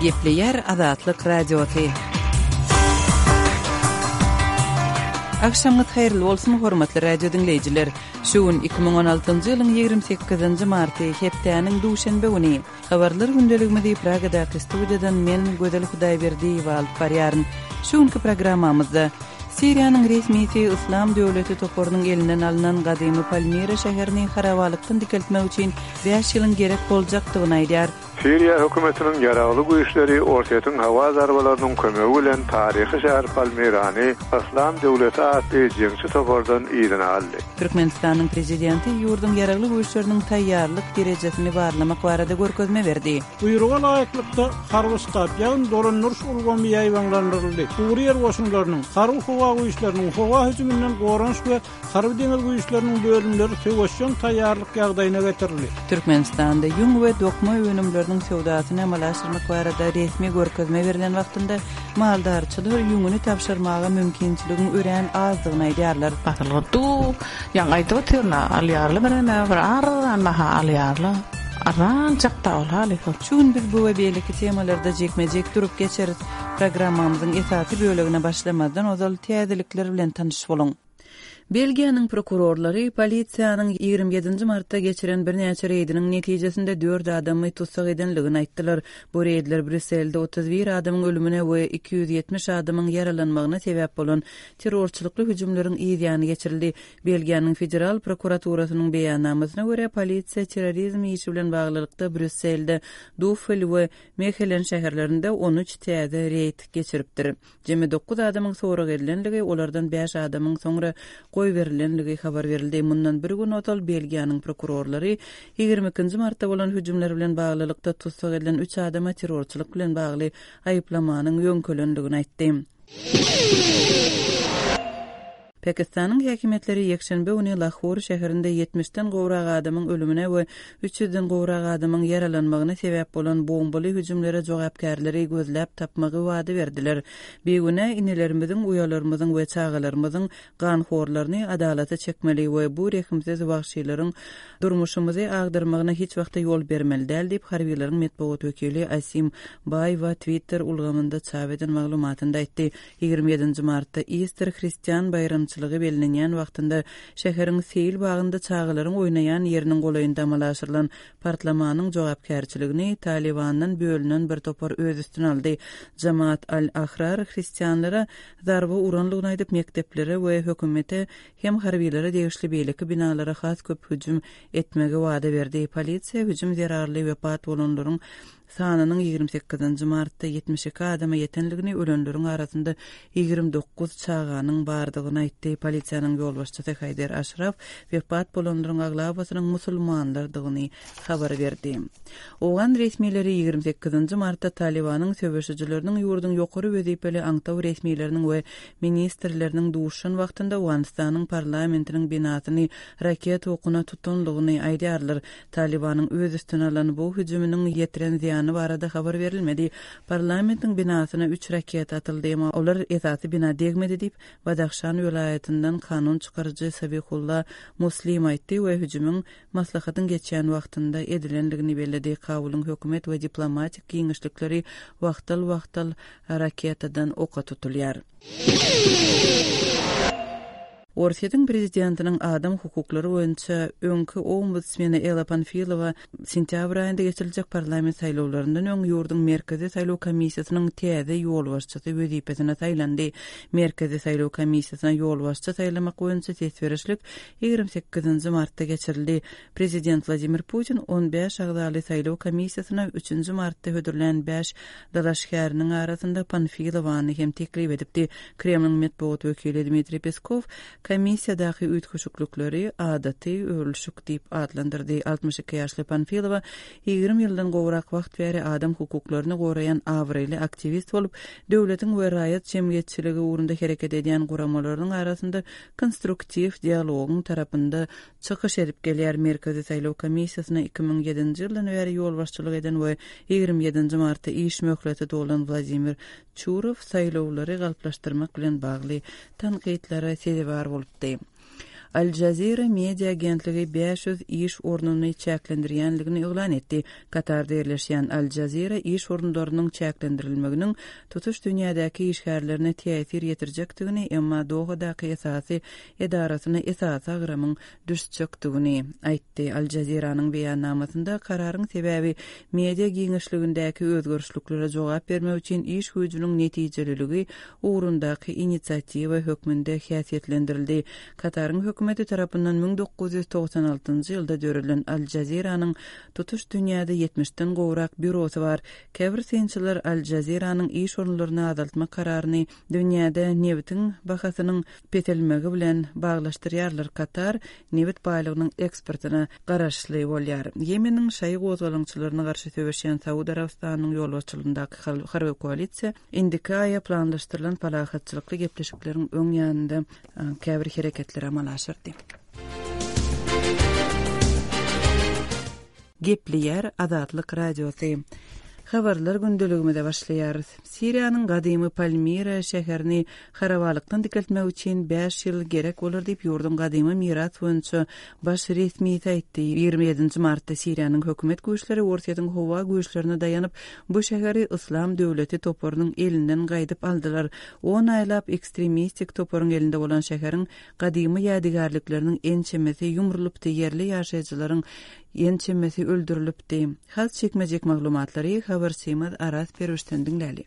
Gepleýär Azatlyk Radiosy. Agşamyňyz haýyrly bolsun, hormatly radio diňleýjiler! Şu gün 2016-njy ýylyň 28-nji marty, hepdäniň duşenbe güni. Habarlar gündeligimizi Pragadaky studiýadan men, Gözel Hudaýberdiýewa alyp barýaryn. Şu günki programmamyzda, Siriýanyň resmisi Yslam döwleti toparynyň elinden alnan gadymy Palmira şäherini harabalykdan dikeltmek üçin bäş ýylyň gerek boljakdygyny aýdýar. Siriýa hökümetiniň ýaragly güýçleri Orsýetiň howa zarbalarynyň kömegi bilen taryhy şäher Palmirany Yslam döwleti atly jeňçi topardan yzyna aldy. Türkmenistanyň Prezidenti ýurduň Ýaragly Güýçleriniň taýýarlyk derejesini barlamak barada görkezme berdi. Buýruga laýyklykda, harby ştab, ýagny dolandyryş ulgamy ýaýbaňlandyryldy, gury ýer goşunlarynyň, harby-howa güýçleriniň, howa hüjüminden goranyş we Harby-deňiz güýçleriniň bölümleri söweşjeň taýýarlyk ýagdaýyna getirildi. Türkmenistanda ýüň we dokma önümleriniň söwdasyny amala aşyrmak barada resmi görkezme berlen wagtynda maldarçylar ýüňüni tabşyrmaga mümkinçiligiň örän azdygyny aýdýarlar. Basylgy du, ýaňy aýdyp otyryn-a, alýarlar bireme bir arzan baha alýarlar. Arzanjak-da ol halys ol. Şu gün biz bu we beýleki temalarda jikme-jik durup geçeris. Programmamyzyň esasy bölegine başlamazdan ozal täzelikler bilen tanyş boluň. Belgiýanyň prokurorlary polisiýanyň 27-nji martda geçiren birnäçe reýdiniň netijesinde dört adamy tussag edenligini aýtdylar. Bu reýdler Brýusselde 31 adamyň ölümine we 270 adamyň ýaralanmagyna sebäp bolan terrorçylykly hüjümleriň yz ýany geçirildi. Belgiýanyň Federal prokuraturasynyň beýannamasyna görä, polisiýa terrorizm işi bilen baglylykda Brýusselde, Duffel we Mehelen şäherlerinde 13 täze reýd geçiripdir. Jemi dokuz adamyň sorag edilenligi, olardan bäş adamyň soňra goýberilenligi habar berildi. Mundan bir gün ozal Belgiýanyň prokurorlary 22 nji martda bolan hüjümler bilen baglylykda tussag edilen üç adama terrorçylyk bilen bagly aýyplamanyň ýöňkelendigini aýtdy. Pakistanyň häkimiýetleri ýekşenbe güni Lahor şäherinde ýetmişden gowrak adamyň ölümine we üç ýüzden gowrak adamyň ýaralanmagyna sebäp bolan bombaly hüjümlere jogapkärleri gözläp tapmagy wada berdiler. Bigünä inelerimiziň, uýalarymyzyň we çagalarymyzyň ganhorlaryny adalata çekmeli we bu rehimsiz wagşylaryň durmuşymyzy agdarmagyna hiç wagtda ýol bermeli däl diýip, harbylaryň metbugat wekili Asim Baýwa Twitter ulgamynda çap eden maglumatynda aýtdy. 27-nji martda Ister hristian baýramçylygy bellenýän wagtynda şäheriň seýil bagynda çagalaryň oýnaýan ýeriniň golaýynda amala aşyrylan partlamanyň jogapkärçiligini Talybandan bölünen bir topar öz üstüne aldy. Jamaat al-Ahrar hristianlara zarba uranlygyny aýdyp, mekdeplere we hökümete hem harbylara degişli beýleki binalara has köp hüjüm etmegi wada berdi. Polisiýa hüjüm zerarly wepat bolanlaryň sanynyň 28-nji martda 72 adama ýetenligini, ölenleriň arasynda 29 çaganyň bardygyny aýtdy. Polisiýanyň ýolbaşçysy Haýder Aşraf wepat bolanlaryň aglabasynyň musulmanlardygyny habar berdi. Owgan resmileri 28-nji martda Talybanyň söweşijileriniň ýurduň ýokary wezipeli aňtaw resmileriniň we ministrleriniň duşuşan wagtynda Owganystanyň parlamentiniň binasyny raketa okuna tutanlygyny aýdýarlar. Talybanyň öz üstüne alan bu hüjüminiň ýetiren zyýany barada habar berilmedi. Parlamentiň binasyna üç raketa atyldy, emma olar esasy bina degmedi diýip, Badahşan welaýatyndan kanun çykaryjy Sabihulla Muslim aýtdy we hüjümiň maslahatyň geçýän wagtynda edilendigini belledi. Kabulyň hökümet we diplomatik giňişlikleri wagtal-wagtal raketadan oka tutulýar. Orsýetiň prezidentiniň adam hukuklary boýunça öňki ombudsmeni Ella Panfilowa sentýabr aýynda geçiriljek parlament saýlawlaryndan öň ýurduň Merkezi saýlaw komissiýasynyň täze ýolbaşçysy wezipesine saýlandy. Merkezi saýlaw komissiýasyna ýolbaşçy saýlamak boýunça ses berişlik 28-nji martda geçirildi. Prezident Wladimir Putin 15 agzaly saýlaw komissiýasyna üçünji martda hödürlän bäş dalaşgäriniň arasynda Panfilowany hem teklip edipdi. Kremliň metbugat wekili Dmitriý Peskow komissiýadaky üýtgeşiklikleri adaty öwrülişik diýip atlandyrdy. 62 ýaşly Panfilowa 20 ýyldan gowrak wagt bäri adam hukuklaryny goraýan abraýly aktiwist bolup, döwletiň we raýat jemgyýetçiligi ugrunda hereket edýän guramalarynyň arasynda konstruktiw dialogyň tarapynda çykyş edip gelýär. Merkezi saýlaw komissiýasyna 2007-nji ýyldan bäri ýolbaşçylyk eden we 27-nji martda iş möhleti dolan Wladimir Çurow saýlawlary galplaşdyrmak bilen bagly tankytlara sezewar bolupdy. Al Jazeera media agentligi 500 iş ornuny çäklendirýändigini yglan etdi. Katarda ýerleşýän Al Jazeera iş orunlarynyň çäklendirilmeginiň tutuş dünýädäki işgärlerine täsir ýetirjekdigini, emma Dohadaky esasy edarasyna esasy agramyň düşjekdigini aýtdy. Al Jazeera-nyň beýannamasynda kararyň sebäbi media giňişligindäki özgerişliklere jogap bermek üçin iş güýjüniň netijeliligi ugrundaky inisiatiwa hökmünde häsiýetlendirildi. Kataryň hökümeti tarapyndan 1996-njy ýylda döredilen Al Jazeera-nyň tutuş dünýäde ýetmişden gowrak býurosy bar. Käbir synçylar Al Jazeera-nyň iş orunlaryny azaltmak kararyny dünýäde nebitiň bahasynyň peselmegi bilen baglaşdyrýarlar. Katar nebit baýlygynyň eksportyna garaşly bolýar. Ýemeniň şaýy gozgalaňçylaryna garşy söweşýän Saud Arabystanynyň ýolbaşçylygyndaky harby koalisiýa indiki aýa planlaşdyrylan parahatçylykly gepleşikleriň öň ýanynda käbir hereketleri amala aşyrdy. Gepleýär Azatlyk Radiosy. Habarlar gündeligimize başlaýarys. Siriýanyň gadymy Palmira şäherini harabalykdan dikeltmek üçin bäş ýyl gerek bolar diýip, ýurduň gadymy miras boýunça baş resmisi aýtdy. 27-nji martda Siriýanyň hökümet güýçleri Orsýetiň howa güýçlerine daýanyp, bu şäheri Yslam döwleti toparynyň elinden gaýdyp aldylar. On aýlap ekstremistik toparyň elinde bolan şäheriň Gadymy ýadygärlikleriniň ençemesi ýumrulypdy, ýerli ýaşaýjylaryň ençemesi öldürilipdi. Has jikme-jik maglumatlary habarçymyz Araz Perwişden diňläli.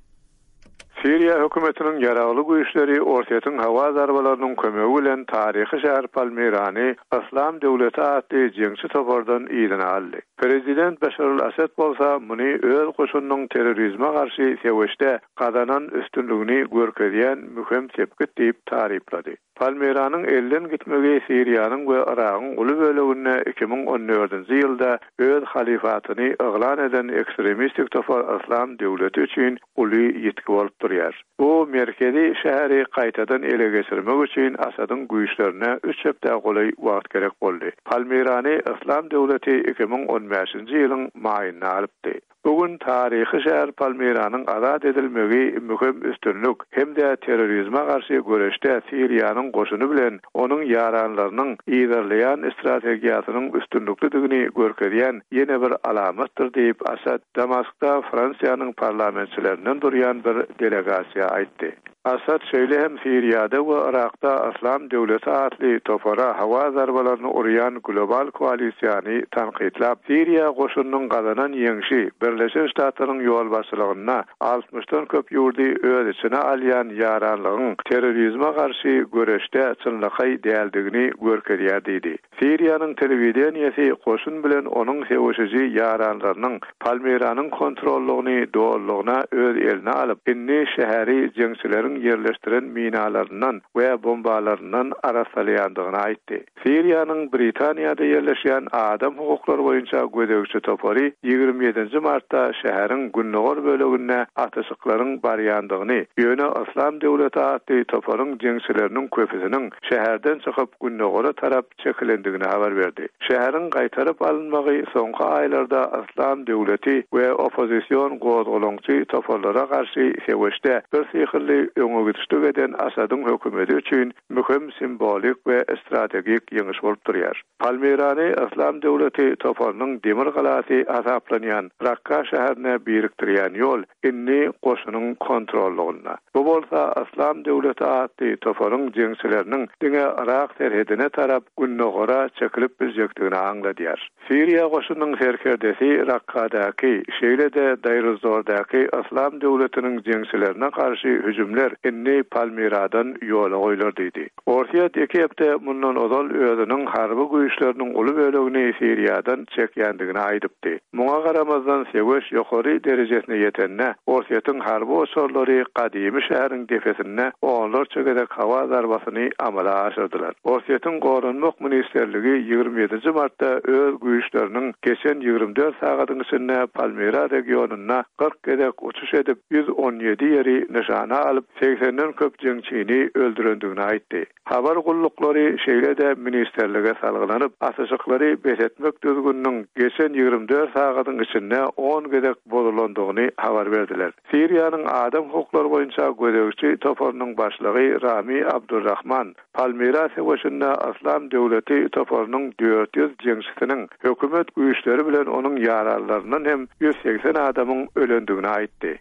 Siriýa hökümetiniň ýaragly güýçleri Orsýetiň howa zarbalarynyň kömegi bilen taryhy şäher Palmirany Yslam döwleti atly jeňçi topardan yzyna aldy. Prezident Beşar al-Assad bolsa muny öz goşunynyň terrorizme garşy söweşde gazanan üstünligini görkezýän möhüm sepgit diýip taryplady. Palmiranyň elden gitmegi Siriýanyň we Yragyň uly böleginde 2014-nji ýylda öz halyfatyny yglan eden ekstremistik topar Yslam döwleti üçin uly ýitgi bolup durýar. Bu merkezi şäheri gaýtadan ele geçirmek üçin Asadyň güýçlerine üç hepdä golaý wagt gerek boldy. Palmirany Yslam döwleti 2015-nji ýylyň maýynda alypdy. Bu gün taryhy şäher Palmiranyň azat edilmegi möhüm üstünlik hem-de terrorizme garşy göreşde Siriýanyň goşuny bilen onuň ýaranlarynyň yzarlaýan strategiýasynyň üstünliklidigini görkezýän ýene bir alamatdyr diýip, Assad Damaskda Fransiýanyň parlamentçilerinden durýan bir delegasiýa aýtdy. Assad şeýle hem Siriýada we Yrakda Yslam döwleti atly topara howa zarbalaryny urýan global koalisiýany tankytlap, Siriýa goşunynyň gazanan ýeňşi Birleşen Ştatlaryň ýolbaşçylygynda altmyşdan köp ýurdy öz içine alýan ýaranlygyň terrorizme garşy göreşde çynlakaý däldigini görkezýär diýdi. Siriýanyň telewideniýesi goşun bilen onuň söweşiji ýaranlarynyň Palmiranyň kontrollygyny dolulygyna öz eline alyp, indi şäheri jeňçileriň ýerleşdiren minalaryndan we bombalaryndan arassalaýandygyny aýtdy. Siriýanyň Britaniýada ýerleşýän adam hukuklary boýunça gözegçi topary 27-nji martda şäheriň gündogar böleginde atyşyklaryň barýandygyny, ýöne Yslam döwleti atly toparyň jeňçileriniň köpüsiniň şäherden çykyp, gündogara tarap çekilendigini habar berdi. Şäheriň gaýtaryp alynmagy soňky aýlarda Yslam döwleti we oppozision gozgalaňçy toparlara garşy söweşde birsyhylly öňegidişlik eden Asadyň hökümeti üçin möhüm simwolik we strategik ýeňiş bolup durýar. Palmirany Yslam döwleti toparynyň demir galasy hasaplanýan Rakka şäherine birikdirýän ýol indi goşunyň kontrollygynda. Bu bolsa Yslam döwleti atly toparyň jeňçileriniň diňe Yrak serhedine tarap gündogara çekilip biljekdigini aňladýar. Siriýa goşunynyň serkerdesi Rakkadaky, şeýle-de Daýruzzordaky Yslam döwletiniň jeňçilerine garşy hüjümler indi Palmiradan ýola goýlar diýdi. Orsýet iki hepde mundan ozal özüniň harby güýçleriniň uly bölegini Siriýadan çekýändigini aýdypdy. Muňa garamazdan, söweş ýokary derejesine ýetende, Orsýetiň harby uçarlary gadymy şäheriň depesinde onlarça gezek howa zarbasyny amala aşyrdylar. Orsýetiň Goranmak ministrligi 27-nji martda öz güýçleriniň geçen 24 sagadyň içinde Palmira regionynda 40 gezek uçuş edip, 117 ýeri nyşana alyp, segsenden köp jeňçini öldürendigini aýtdy. Habar gulluklary şeýle-de ministrlige salgylanyp, atyşyklary bes etmek düzgüniniň geçen 24 sagadyň içinde on gezek bozulandygyny habar berdiler. Siriýanyň adam hukuklary boýunça gözegçi toparynyň başlygy Rami Abdulrahman Palmira söweşinde Yslam döwleti toparynyň 400 jeňçisiniň, hökümet güýçleri bilen onuň ýaranlaryndan hem 180 adamyň ölendigini aýtdy.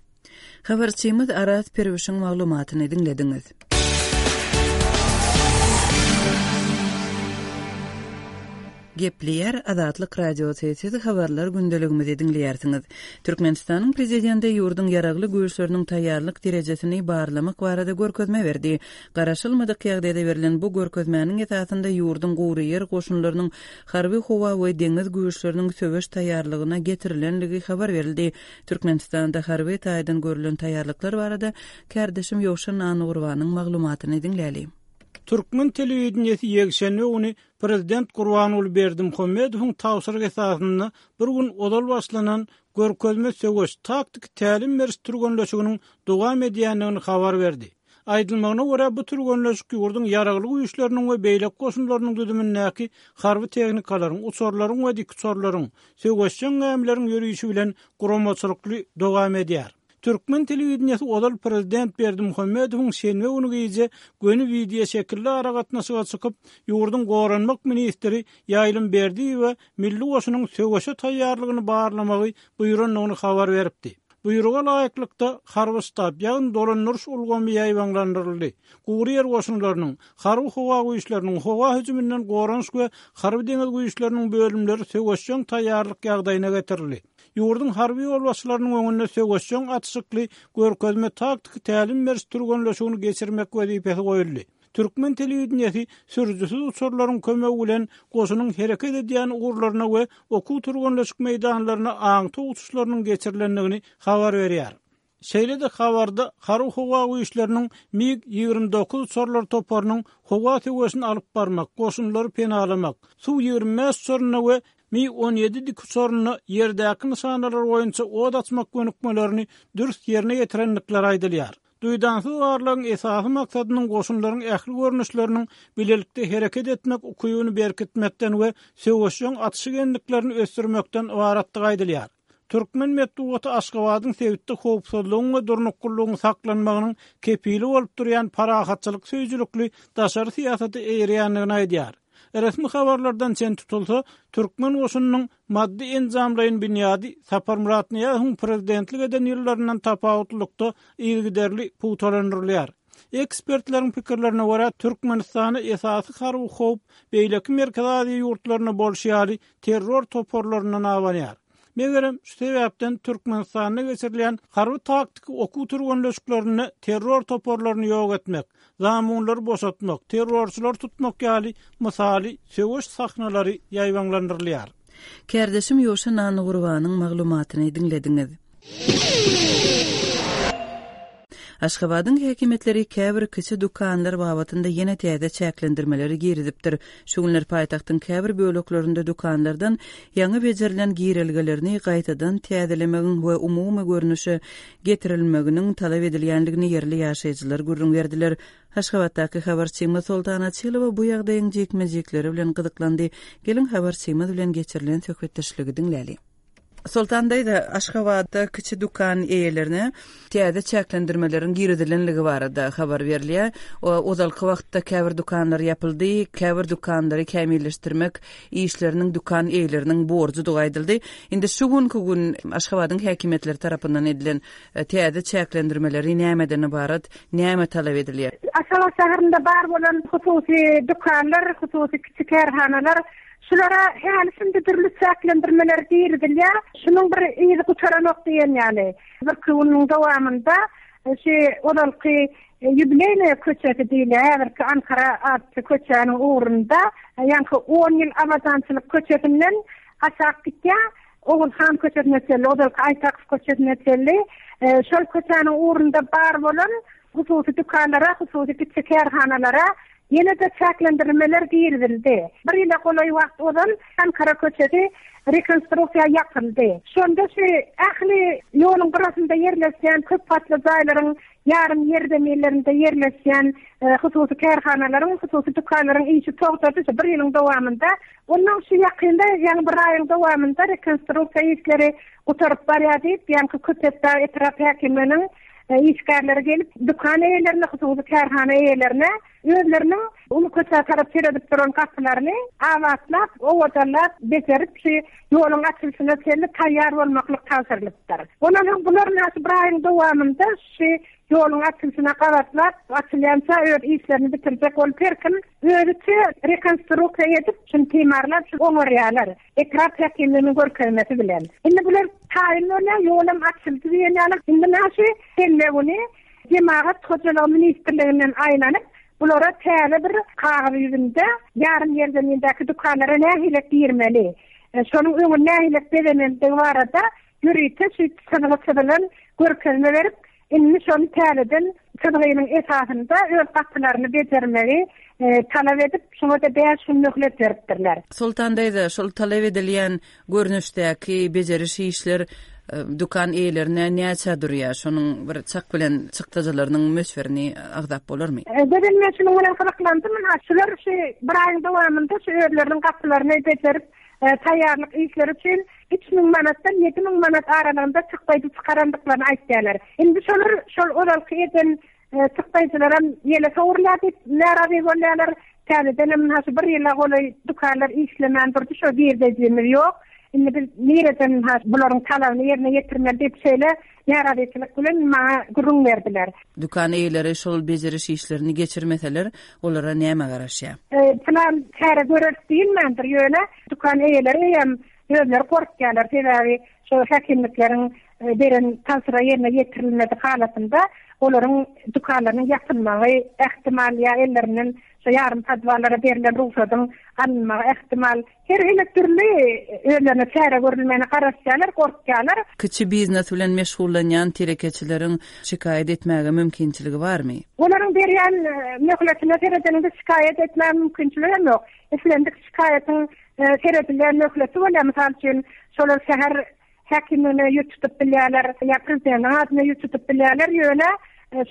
Habarçymyz Araz Perwişiň maglumatyny diňlediňiz. Gepleýär Azatlyk Radiosy, siz habarlar gündeligimizi diňleýärsiňiz. Türkmenistanyň Prezidenti ýurduň Ýaragly Güýçleriniň taýýarlyk derejesini barlamak barada görkezme berdi. Garaşylmadyk ýagdaýda berlen bu görkezmäniň esasynda ýurduň gury ýer goşunlarynyň harby-howa we deňiz güýçleriniň söweş taýýarlygyna getirilenligi habar berildi. Türkmenistanda harby taýdan görlen taýýarlyklar barada kärdeşim Ýowşan Annagurbanyň maglumatyny diňläli. Türkmen telewideniýesi ýekşenbe güni Prezident Gurbanguly Berdimuhamedowyň tabşyrygy esasynda bir gün ozal başlanan görkezme söweş taktiki tälim beriş türgenleşiginiň dowam edýändigini habar berdi. Aýdylmagyna görä, bu türgenleşik ýurduň Ýaragly Güýçleriniň we beýleki goşunlarynyň düzümindäki harby tehnikalaryň, uçarlaryň we dikuçarlaryň, söweşjeň gämileriň ýörişi bilen guramaçylykly dowam edýär. Türkmen telewideniýesi ozal prezident Berdimuhamedowyň şenbe güni gije göni wideoşekilli aragatnaşyga çykyp, ýurduň goranmak ministri Ýaýlym Berdiýewe milli goşunyň söweşe taýýarlygyny barlamagy buýrandygyny habar beripdi. Buýruga laýyklykda, harby ştab, ýagny dolandyryş ulgamy ýaýbaňlandyryldy. Gury ýer goşunlarynyň, harby-howa güýçleriniň, howa hüjüminden goranyş we harby-deňiz güýçleriniň bölümleri söweşjeň taýýarlyk ýagdaýyna getirildi. Ýurduň harby ýolbaşçylarynyň öňünde söweşjeň atyşykly görkezme taktiki tälim beriş türgenleşigini geçirmek wezipesi goýuldy. Türkmen telewideniýesi sürüjisiz uçarlaryň kömegi bilen goşunyň hereket edýän ugurlaryna we okuw-türgenleşik meýdanlaryna aňtaw uçuşlarynyň geçirilendigini habar berýär. Şeýle-de habarda Harby-howa güýçleriniň MiG 29 uçarlar toparynyň howa söweşini alyp barmak, goşunlary penalamak, Su 25 uçarynda we Mi 17 dikuçarynda ýerdäki nyşanalar boýunça ot açmak gönükmelerini dürs ýerine ýetirendikleri aýdylýar. Duýdansyz barlagyň esasy maksadynyň goşunlaryň ähli görnüşleriniň bilelikde hereket etmek ukybyny berkitmekden we söweşjeň atyşyk endiklerini ösdürmekden ybaratdygy aýdylýar. Türkmen metbugaty Aşgabadyň sebitde howpsuzlygyň we durnuklylygyň saklanmagynyň kepili bolup durýan parahatçylyk söýüjilikli daşary syýasata eýerýändigini aýdýar. Resmi habarlardan çen tutulsa, türkmen goşunynyň maddy-enjamlaýyn binýady Saparmyrat Nyýazowyň prezidentlik eden ýyllaryndan tapawutlylykda yzygiderli pugtalandyrylýar. Ekspertleriň pikirlerine görä, Türkmenistana esasy harby howp beýleki Merkezi Aziýa ýurtlarynda bolşy ýaly terror toparlaryndan abanýar. Megerem, şu sebäpden Türkmenistanda geçirilýän harby-taktiki okuw-türgenleşiklerinde terror toparlaryny ýok etmek, zamunlary boşatmak, terrorçylary tutmak ýaly mysaly söweş sahnalary ýaýbaňlandyrylýar. Kärdeşim Ýowşan Annagurbanyň maglumatyny diňlediňiz. Aşgabadyň häkimiýetleri käbir kiçi dükanlar babatynda ýene täze çäklendirmeleri girizipdir. Şu günler paýtagtyň käbir böleklerinde dükanlardan ýaňy bejerilen girelgelerini gaýtadan täzelemegiň we umumy görnüşe getirilmeginiň talap edilýändigini ýerli ýaşaýjylar gürrüň berdiler. Aşgabatdaky habarçymyz Soltan Açylowa bu ýagdaýyň jikme-jikleri bilen gyzyklandy. Geliň, habarçymyz bilen geçirilen söhbetdeşligi diňläli. Soltan daýza, Aşgabatda kiçi dükan eýelerine täze çäklendirmeleriň girizilenligi barada habar berilýär. Ozalky wagtda käbir dükanlar ýapyldy, käbir dükanlary kämilleşdirmek işleriniň dükan eýeleriniň borjudygy aýdyldy. Indi şu günki gün Aşgabadyň häkimiýetleri tarapyndan edilen täze çäklendirmeleri nämeden ybarat, näme talap edilýär? Aşgabat şäherinde bar bolan hususy dükanlar, hususy kiçi kärhanalar Şulara häli-şindi dürli çäklendirmeler girizilýär. Şunuň bir yzy gutaranok diýen ýaly. Birki günüň dowamynda şu ozalky Ýubileýnaýa köçesi diýilýär, häzirki Ankara atly köçäniň ugrunda, ýaňky On ýyl abadançylyk köçesinden aşak gitýär, Oguzhan köçesine çenli, ozalky Aýtakow köçesine çenli, şol köçäniň ugrunda bar bolan hususy dükanlara, hususy kiçi kärhanalara. ýene-de çäklendirmeler girizildi. Bir ýyla golaý wagt ozal Ankara köçesi rekonstruksiýa ýapyldy. Şonda şu ähli ýoluň gyrasynda ýerleşýän köp gatly jaýlaryň ýarym ýerzeminlerinde ýerleşýän hususy kärhanalaryň, hususy dükanlaryň işi togtady şu bir ýylyň dowamynda. Ondan şu ýakynda, ýaňy bir aýyň dowamynda rekonstruksiýa işleri gutaryp barýar diýip, ýaňky Köpetdag etrap häkimliginiň işgärleri gelip, dükan eýelerine, hususy kärhana eýelerine özleriniň uly köçä tarap seredip duran gapylaryny abatlap, owadanlap, bejerip, şu ýoluň açylyşyna çenli taýýar bolmaklyk tabşyrylypdyr. Ondan soň bular ynha şu bir aýyň dowamynda şu ýoluň açylyşyna gabatlap, açylýança öz işlerini bitirjek bolup her kim özüçe rekonstruksiýa edip, şuny timarlap, şuny oňarýarlar. Etrap häkimliginiň görkezmesi bilen. Indi bular taýyn bolýar, ýolam açyldy diýen ýaly. Indi ynha şu şenbe güni Jemagat hojalygy ministrliginden aýlanyp, bulara täze bir kagyz ýüzünde ýarym ýerzemindäki dükanlara nähilek girmeli, şonuň öňüni nähilek bezemelidigi barada ýörite şu çyzgy çyzylan görkezme berip, indi şony täzeden çyzgynyň esasynda öz gapylaryny bejermegi talap edip, şoňa-da bäş gün möhlet beripdirler. Soltan daýza, şol talap edilýän görnüşdäki bejeriş işler dükan eýelerine näçä durýar? Şonuň bir çak bilen çykdajylarynyň möçberini agzap bolarmy? Gözel men şunuň bilen gyzyklandym. Ynha, şular şu bir aýyň dowamynda şu özleriniň gapylaryny bejerip, taýýarlyk işleri üçin 3000 manatdan 7000 manat aralygynda çykdaýjy çykarandyklaryny aýtýarlar. Indi şolar şol ozalky eden Çykdaýjylaram ýele sowrulýar diýip närazy bolýarlar. Täzedenem ynha şu bir ýyla golaý dükanlar işlemän durdy, şo girdejimiz ýok. Indi biz nireden ynha bularyň talabyny ýerine ýetirmeli diýip şeýle närazyçylyk bilen maňa gürrüň berdiler. Dükan eýeleri şol bejeriş işlerini geçirmeseler, olara näme garaşýar? Pylan çäre göreris diýilmändir, ýöne dükan eýeleri eýýäm özleri gorkýarlar, sebäbi şo häkimlikleriň beren tabşyrygy ýerine ýetirilmedik halatynda olaryň dükanlarynyň ýapylmagy ähtimal ýa ellerinden şo ýarym podwallara berlen rugsadyň alynmagy ähtimal. Her hili dürli özlerine çäre görülmegine garaşýarlar, gorkýarlar. Kiçi biznes bilen meşgullanýan telekeçileriň şikaýat etmäge mümkinçiligi barmy? Olaryň berýän möhletine seredeniňde şikaýat etmäge mümkinçiligi hem ýok. Islendik şikaýatyň seredilýän möhleti bolýar. Mysal üçin, şolar şäher häkimligine ýüz tutup bilýärler ýa prezidentiň adyna ýüz tutup bilýärler, ýöne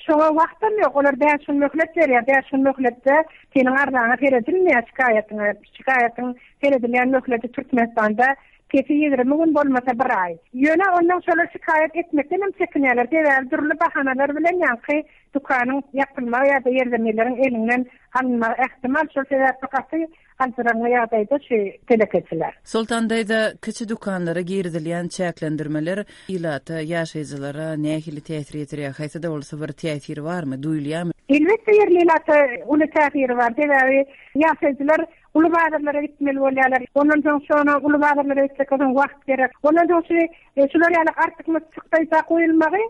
şoňa wagtam ýok. Olar bäş gün möhlet berýär. Bäş gün möhletde seniň arzaňa seredilmeýär, şikaýatyňa. Şikaýatyň seredilýän möhleti Türkmenistanda pesi 20 gün bolmasa bir aý. Ýöne ondan şolar şikaýat etmekden hem çekinýärler. Sebäbi dürli bahanalar bilen ýaňky dükanyň ýapylmagy ýa-da ýerzeminleriň eliňden alynmagy ähtimal. Şol sebäpli gaty Aljyraňňy ýagdaýda şu telekeçiler. Soltan daýza, kiçi dükanlara girizilýän çäklendirmeler ilata, ýaşaýjylara nähili täsir ýetirýär? Haýsy-da bolsa bir täsiri barmy, duýulýarmy? Elbetde ýerli ilata uly täsiri bar. Sebäbi ýaşaýjylar uly bazarlara gitmeli bolýarlar. Ondan soň şona uly bazarlara gitjek bolsaň wagt gerek. Ondan soň şu şular ýaly artykmaç çykdaýja goýulmagy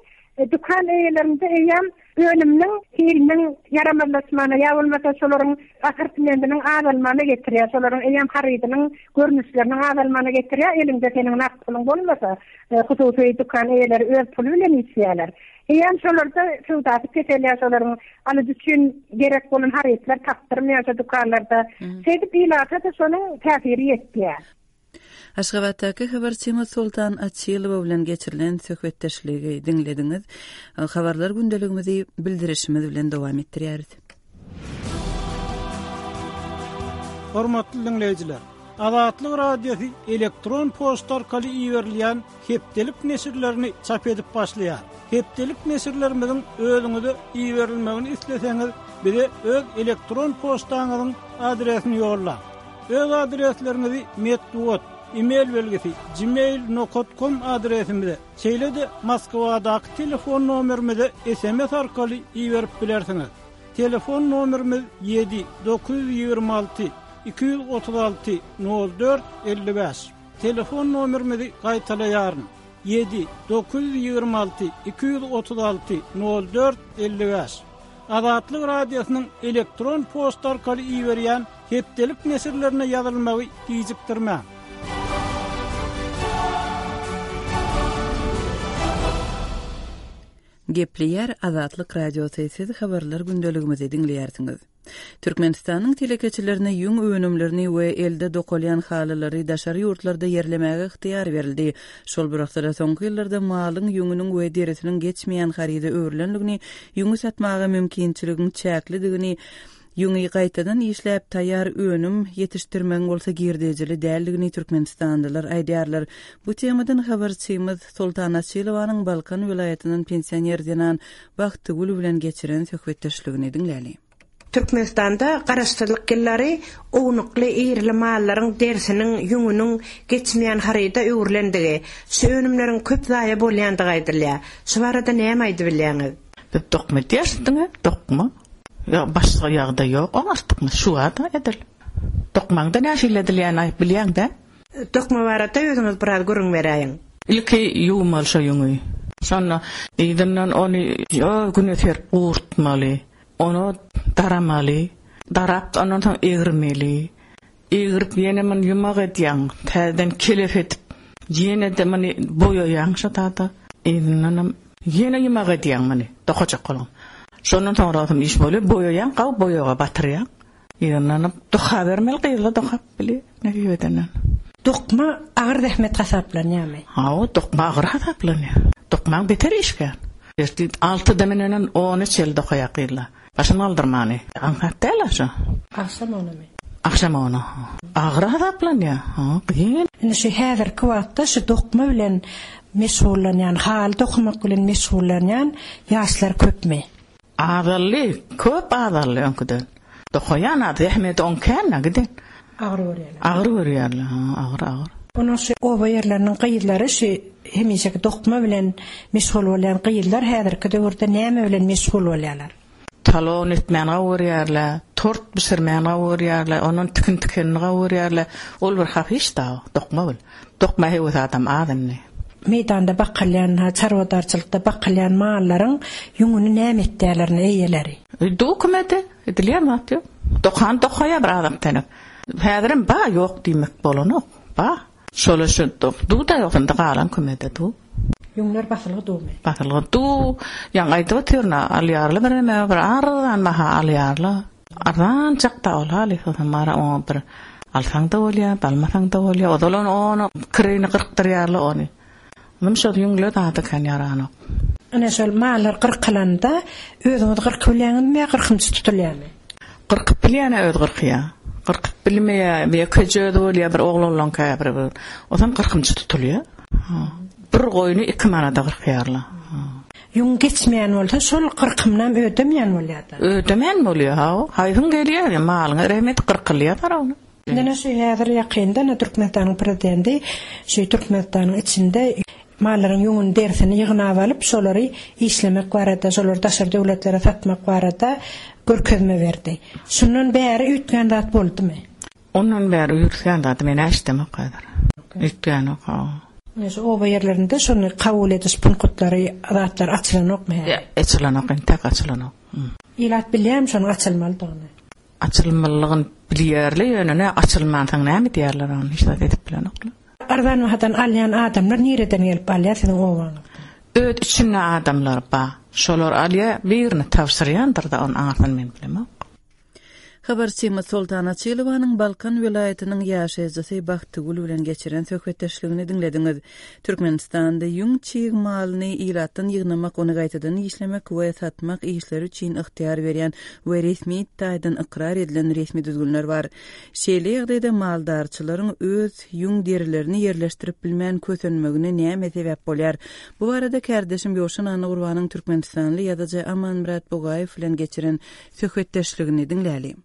Dükan eýelerinde eýýäm önüminiň hiliniň ýaramazlaşmagyna ýa bolmasa şolaryň assortimentiniň azalmagyna getirýär. Şolaryň eýýäm harydynyň görnüşleriniň azalmagyna getirýär. Eliňde seniň nagt puluň bolmasa, hususy dükan eýeleri öz puly bilen işleýärler. Eýýäm şolarda söwdasy peselýär, şolaryň alyjy üçin gerek bolan harytlar tapdyrmaýar şo dükanlarda. Şeýdip ilata-da şonuň täsiri ýetýär. Aşgabatdaky habarçymyz Soltan Açylowa bilen geçirilen söhbetdeşligi diňlediňiz. Habarlar gündeligimizi bildirişimiz bilen dowam etdirýäris. Hormatly diňleýjiler! Azatlyk Radiosy elektron poçta arkaly iberilýän hepdelik neşirlerini çap edip başlaýar. Hepdelik neşirlerimiziň özüňize iberilmegini isleseňiz, bize öz elektron poçtaňyzyň adresini ýollaň. Öz adresleriňizi metbugat, e-mail belgisi, gmail nokat kom adresimize, şeýle-de Moskwadaky telefon nomerimize sms arkaly iberip bilersiňiz. Telefon nomerimiz ýedi, 926 236 04 55. Telefon nomerimizi gaýtalaýaryn, ýedi, 926 236 04 55. Azatlyk Radiosynyň elektron poçta arkaly iberýän hepdelik neşirlerine ýazylmagy gijikdirmäň. Gepleýär Azatlyk Radiosy, siz habarlar gündeligimizi diňleýärsiňiz. Türkmenistanyň telekeçilerine ýüň önümlerini we elde dokalýan halylary daşary ýurtlarda ýerlemäge ygtyýar berildi. Şol bir wagtda-da soňky ýyllarda malyň ýüňüniň we derisiniň geçmeýän haryda öwrülendigini, ýüňi satmaga mümkinçiligiň çäklidigini, ýüňi gaýtadan işläp taýýar önüm ýetişdirmegiň bolsa girdejili däldigini türkmenistanlylar aýdýarlar. Bu temadan habarçymyz Soltan Açylowanyň Balkan welaýatyndan pensioner zenan Bagtygül bilen geçiren söhbetdeşligini diňläli. Türkmenistanda Garaşsyzlyk ýyllary ownukly-irili mallaryň derisiniň, ýüňüniň geçmeýän haryda öwrülendigi, şu önümleriň köp zaýa bolýandygy aýdylýar. Şu barada näme aýdybilýäňiz? Biz dokma edýäris diňe, dokma. Ýok, başga ýagdaý ýok, oň artykmaç şu bar-da edil. Dokmaň-da nähili edilýänini aýyp bilýäň-dä? Dokma barada özüňiz biraz gürrüň beräýiň. Ilki ýuwmaly şo ýüňi. Şonda yzyndan ony güne serip gurutmaly. Ony daramaly. Darap ondan soň egirmeli. Egrip ýene muny ýumak edýäň. Täzeden kelep edip ýene-de muny boýaýaň şo tada. Yzyndanam ýene ýumak edýäň muny dokajak boluň. Şondan soňra iş bolýar. Boýaýaň, gawy boýaga batyrýaň. Ýygnanyp dokabermeli gyzlar dokap bilýär nesip edenden. Dokma agyr zähmet hasaplanýarmy? Hawa dokma agyr hasaplanýar. Dokmaň beter işgär. Ertir altyda münenden ona çenli dokaýar gyzlar. Başyny galdyrmany. Aňsat däl-ä şo. Agşam onamy? Agşam ona. Agyr hasaplanýar. Ha, kyn. Indi şu häzirki wagtda şu dokma bilen meşgullanýan, haly dokamak bilen meşgullanýan ýaşlar köpmi? Azaldy, köp azaldy öňküden. Dokaýan az, zähmeti oň kän-ä giden. Agyr görýärler. Agyr görýärler, ha, agyr, agyr. Onuň şu oba ýerleriniň gyzlary şu hemişeki dokma bilen meşgul bolýan gyzlar häzirki döwürde näme bilen meşgul bolýarlar? Talon etmäni gowy görýärler, tort bişirmäni gowy görýärler, ondan tikin tikenini gowy görýärler. Ol bir hapa iş dagy, dokma bil. Dokma höwes adam az indi. Meýdanda bakylýan, çarwadarçylykda bakylýan mallaryň ýüňüni näme etýärler indi eýeleri? Dökümede edilýän zat ýok. Dokan dokaýar bir azak-tenek. Häzirem ba ýok diýmek bolanok. Ba. Şola şu duw-da ýok indi galan kümede duw. Ýüňler basylgy duwmy? Basylgy duw. Ýaňy aýdyp otyryn-a, alýarlar birneme bir arzan baha alýarlar. Arzanjak-da ol halys bolsa bara oňa bir alsaň-da bolýar, almasaň-da bolýar. Ozal ony ony kireýine gyrkdyrýarlar ony. Onam şol ýüňler zada kän ýaranok. Ine şol mallar gyrkylanda özüňiz gyrkyp bilýäňizmi ýa gyrkymçy tutulýarmy? Gyrkyp bilýän-ä özi gyrkýar. Gyrkyp bilmeýär, ýekeje özi bolýar bir oglanlaň käbiri bir. Ozam gyrkymçy tutulýar. Bir goýny iki manada gyrkýarlar. Ýüň geçmeýän bolsa şol gyrkymynam ödemeýän bolýar-da. Ödemeýän bolýar, hawa. Haýsyň gelýär, malyňa rehmet gyrkylýar parawny. Ine şu häzir ýakynda ine Türkmenistanyň prezidenti şu Türkmenistanyň içinde mallaryň ýüňüni derisini ýygnap alyp şolary işlemek barada şolary daşary döwletlere satmak barada görkezme berdi. Şundan bäri üýtgän zat boldumy? Ondan bäri üýtgän zady men eşidemok häzir. Üýtgänok hawa. Ine şu oba ýerlerinde şony kabul ediş punkutlary zatlar açylanokmy häzir? Açylanok entek açylanok. Ilat bilýärmi şonuň açylmalydygyny? Açylmalydygyny bilýärler ýöne nä açylmansoň näme edýärler ony hiç zat edip bilenoklar. Arzan bahadan alýan adamlar nireden gelip alýar siziň obaňyzda? Öz içinde adamlar ba. Şolar alýar birini tabşyrýandyrda ony aňyrsyny men bilemok. Habarçymyz Soltan Açylowanyň Balkan welaýatynyň ýaşaýjysy Bagtygül bilen geçiren söhbetdeşligini diňlediňiz. Türkmenistanda ýüň çig malyny ilatdan ýygnamak, ony gaýtadan işlemek we satmak işleri üçin ygtyýar berýän we resmi taýdan ykrar edilen resmi düzgünler bar. Şeýle ýagdaýda maldarçylaryň öz ýüň derilerini ýerleşdirip bilmän kösenmegine näme sebäp bolýar? Bu barada kärdeşim Ýowşan Annagurbanyň türkmenistanly ýazyjy Amanmyrat Bugaýew bilen geçiren söhbetdeşligini diňläli.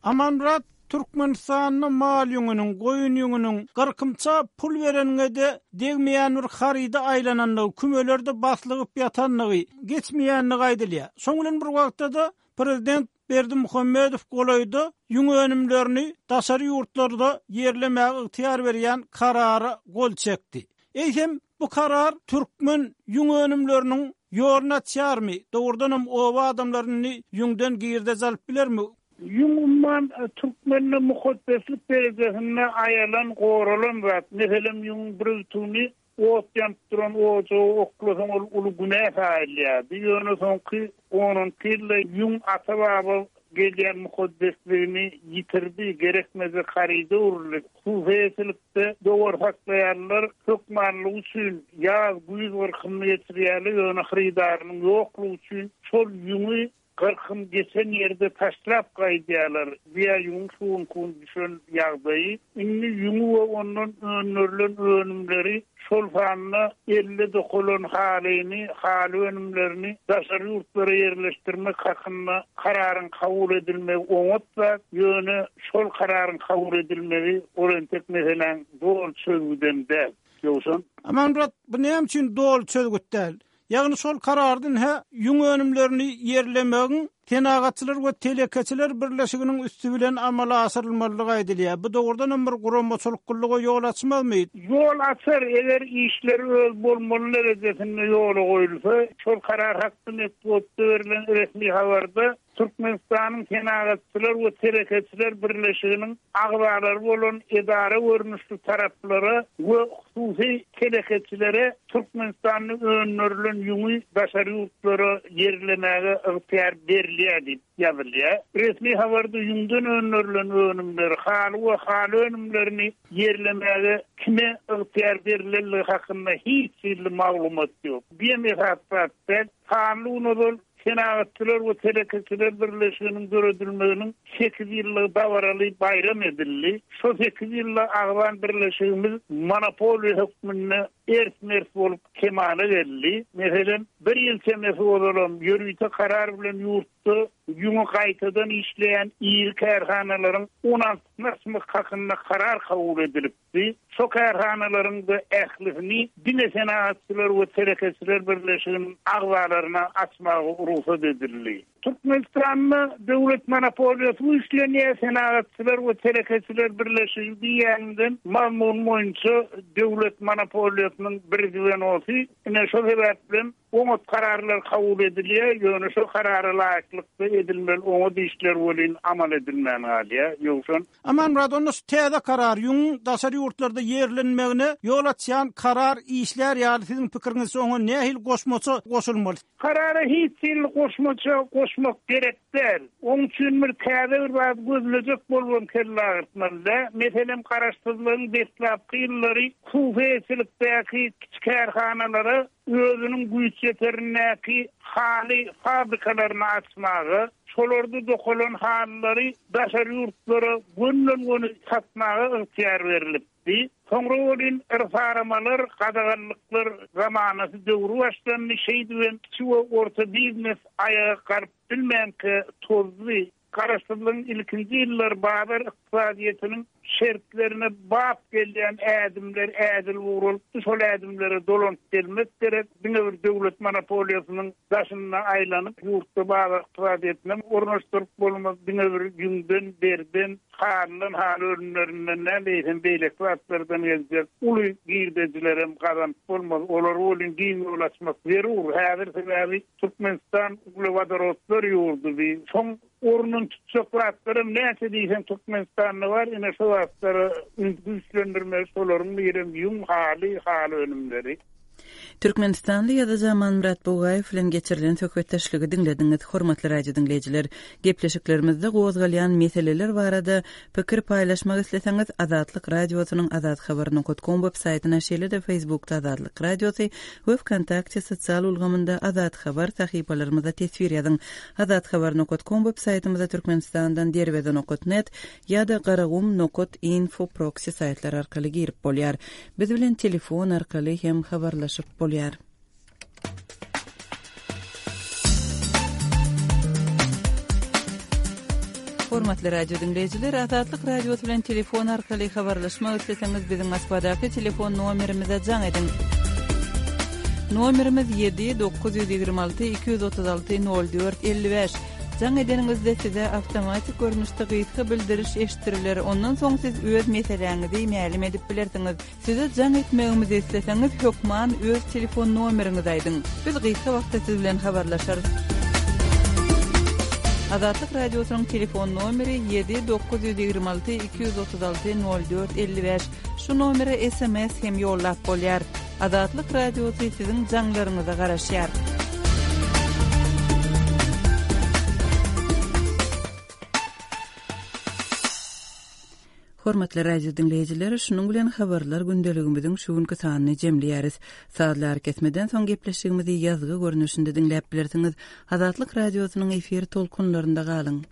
Amanmyrat, Türkmenistanda mal ýüňüniň, goýun ýüňüniň gyrkymça pul bereniňe-de degmeýän bir haryda aýlanandygy, kümelerde baslygyp ýatandygy, geçmeýändigi aýdylýar. Şoň bilen bir wagtda-da, prezident Berdimuhamedow golaýda ýüň önümlerini daşary ýurtlarda ýerlemäge ygtyýar berýän karara gol çekdi. Eýsem, bu karar türkmen ýüň önümleriniň ýoluny açýarmy? Dogrudanam oba adamlary indi ýüňden girdeji alyp bilermi? Ýüň umman türkmende mukaddeslik derejesinde aýalan, goralan zat. Meselem, ýüňüň bir ütügini ot ýanyp duran ojaga oklasaň ol uly günä saýylýardy. Ýöne soňky on-on iki ýylda ýüň ata-baba. gelýän mukaddesligini ýitirdi, gerekmejek haryda öwrüldi. Hususy eýeçilikde dowar saklaýanlar hökmanlygy üçin ýaz, güýz gyrkymyny geçirýärler, ýöne hyrydarynyň ýoklugy üçin şol ýüňi gyrkym geçen ýerde taşlap gaýdýarlar. Bu-ýa ýüňüň şu günki gün düşen ýagdaýy. Indi ýüňi we ondan öndürilen önümleri, şol sanda elde dokalan halyny, haly önümlerini daşary ýurtlara ýerleşdirmek hakynda kararyň kabul edilmegi oňat zat, ýöne şol kararyň kabul edilmegi ol entek meseläň doly çözgüdem däl. Ýowşan. Amanmyrat, bu näme üçin doly çözgüt däl? Ýagny şol kararda hä ýüň önümlerini ýerlemegiň Senagatçylar we telekeçiler birleşiginiň üsti bilen amala aşyrylmalydygy aýdylýar. Bu dogrudan hem bir guramaçylyklylyga ýol açmazmy? Ýol açar, eger işler öz bolmaly derejesinde ýola goýulsa. Şol karar hakda metbugatda berlen resmi habarda Türkmenistanyň Senagatçylar we telekeçiler birleşiginiň agzalary bolan edara görnüşli taraplara we hususy telekeçilere Türkmenistanda öndürilen ýüňi daşary ýurtlara ýerlemäge ygtyýar berilýär diýip ýazylýar. Resmi habarda ýüňden öndürilen önümleri, haly we haly önümlerini ýerlemäge kime ygtyýar berilendigi hakynda hiç hili maglumat ýok. Bu hem esasy zat däl. Sanly gün ozal Senagatçylar we telekeçiler birleşiginiň döredilmeginiň sekiz ýyllygy dabaraly baýram edildi. Şo sekiz ýylda agzan birleşigimiz monopoliýa hökmünde ers-mers bolup kemala geldi. Meselem, bir ýyl çemesi ozalam ýörite karar bilen ýurtda ýüňi gaýtadan işleýän iri kärhanalaryň on altysyny açmak hakynda karar kabul edilipdi. Şo kärhanalaryň-da ählisini diňe Senagatçylar we telekeçiler birleşiginiň agzalaryna açmaga rugsat edildi. Türkmenistanda döwlet monopoliýasy güýçlenýär, Senagatçylar we telekeçiler birleşigi diýýäninden mazmun boýunça döwlet monopoliýasynyň bir zwenosy. Ine şo sebäplem Oňat kararlar kabul edilýär, ýöne şol karara laýyklykda edilmeli oňat işler welin amal edilmän galýar. Ýowşan. Amanmyrat, onda şu täze karar, ýüňüň daşary ýurtlarda ýerlenmegine ýol açýan karar işlär ýaly siziň pikiriňizçe oňa nähili goşmaça goşulmaly? Karara hiç hili goşmaça goşmak gerek däl. Oň üçin bir täze bir zat gözlejek bolubam kelle agyrtmaly däl. Meselem, garaşsyzlygyň deslapky ýyllary hususy eýeçilikdäki kiçi kärhanalara özüniň güýçýeterindäki haly fabrikalaryny açmaga, şolarda dokalan halylary daşary ýurtlara gönden-göni satmaga ygtyýar berlipdi. Soňra welin yrsaramalar, gadaganlyklar zamanasy döwri başlandy, şeýdibem kiçi we orta biznes aýaga galyp bilmänkä tozdy. Garaşsyzlygyň ilkinji ýyllary bazar ykdysadyýetiniň şertlerine bap gelýän ädimler ädilip ugralypdy, şol ädimlere dolanyp gelmek gerek. Diňe bir döwlet monopoliýasynyň daşynda aýlanyp, ýurtda bazar ykdysadyýetinem ornaşdyryp bolmaz. Diňe bir ýüňden, deriden, halydan, haly önümlerinden däl, eýsem beýleki zatlardan geljek uly girdejilerem gazanyp bolmaz. Olara welin giň ýol açmak zerur. Häzir sebäbi Türkmenistan uglewodorodlar ýurdy bi. Şoň ornuny tutjak zatlaram näçe diýseň Türkmenistanda bar, ine şo zatlara üns güýçlendirmeli, şolaryň birem ýüň, haly, haly önümleri. Türkmenistanly ýazyjy Amanmyrat Bugaýew bilen geçirilen söhbetdeşligi diňlediňiz. Hormatly radio diňleýjiler, gepleşiklerimizde gozgalýan meseleler barada pikir paýlaşmak isleseňiz, Azatlyk Radiosynyň azathabar nokat kom web saýtyna, şeýle-de Facebookda Azatlyk Radiosy we Wkontakte sosial ulgamynda Azat Habar sahypalarymyza teswir ýazyň. Azathabar nokat kom web saýtymyza Türkmenistandan Derweze nokat net ýa-da Garagum nokat info proksi saýtlary arkaly girip bolýar. Biz bilen telefon arkaly hem habarlaşyp bolýar. Hormatly radio diňleýjiler, Azatlyk Radiosy bilen telefon arkaly habarlaşmak isleseňiz, biziň Moskwadaky telefon nomerimize jaň ediň. Nomerimiz 7 926 236 04 55. Jaň edeniňizde size awtomatik görnüşde gysga bildiriş eşitdiriler, ondan soň siz öz meseläňizi mälim edip bilersiňiz. Size jaň etmegimizi isleseňiz, hökman öz telefon nomeriňizi aýdyň. Biz gysga wagtda siz bilen habarlaşarys. Azatlyk Radiosynyň telefon nomeri 7 926 236 04 55. Şu nomere sms hem ýollap bolýar. Azatlyk Radiosy siziň jaňlaryňyza garaşýar. Hormatly radio diňleýjiler, şunuň bilen habarlar gündeligimiziň şu günki sanyny jemleýäris. Sazly arakesmeden soň gepleşigimizi ýazgy görnüşinde diňläp bilersiňiz. Azatlyk Radiosynyň efir tolkunlarynda galyň!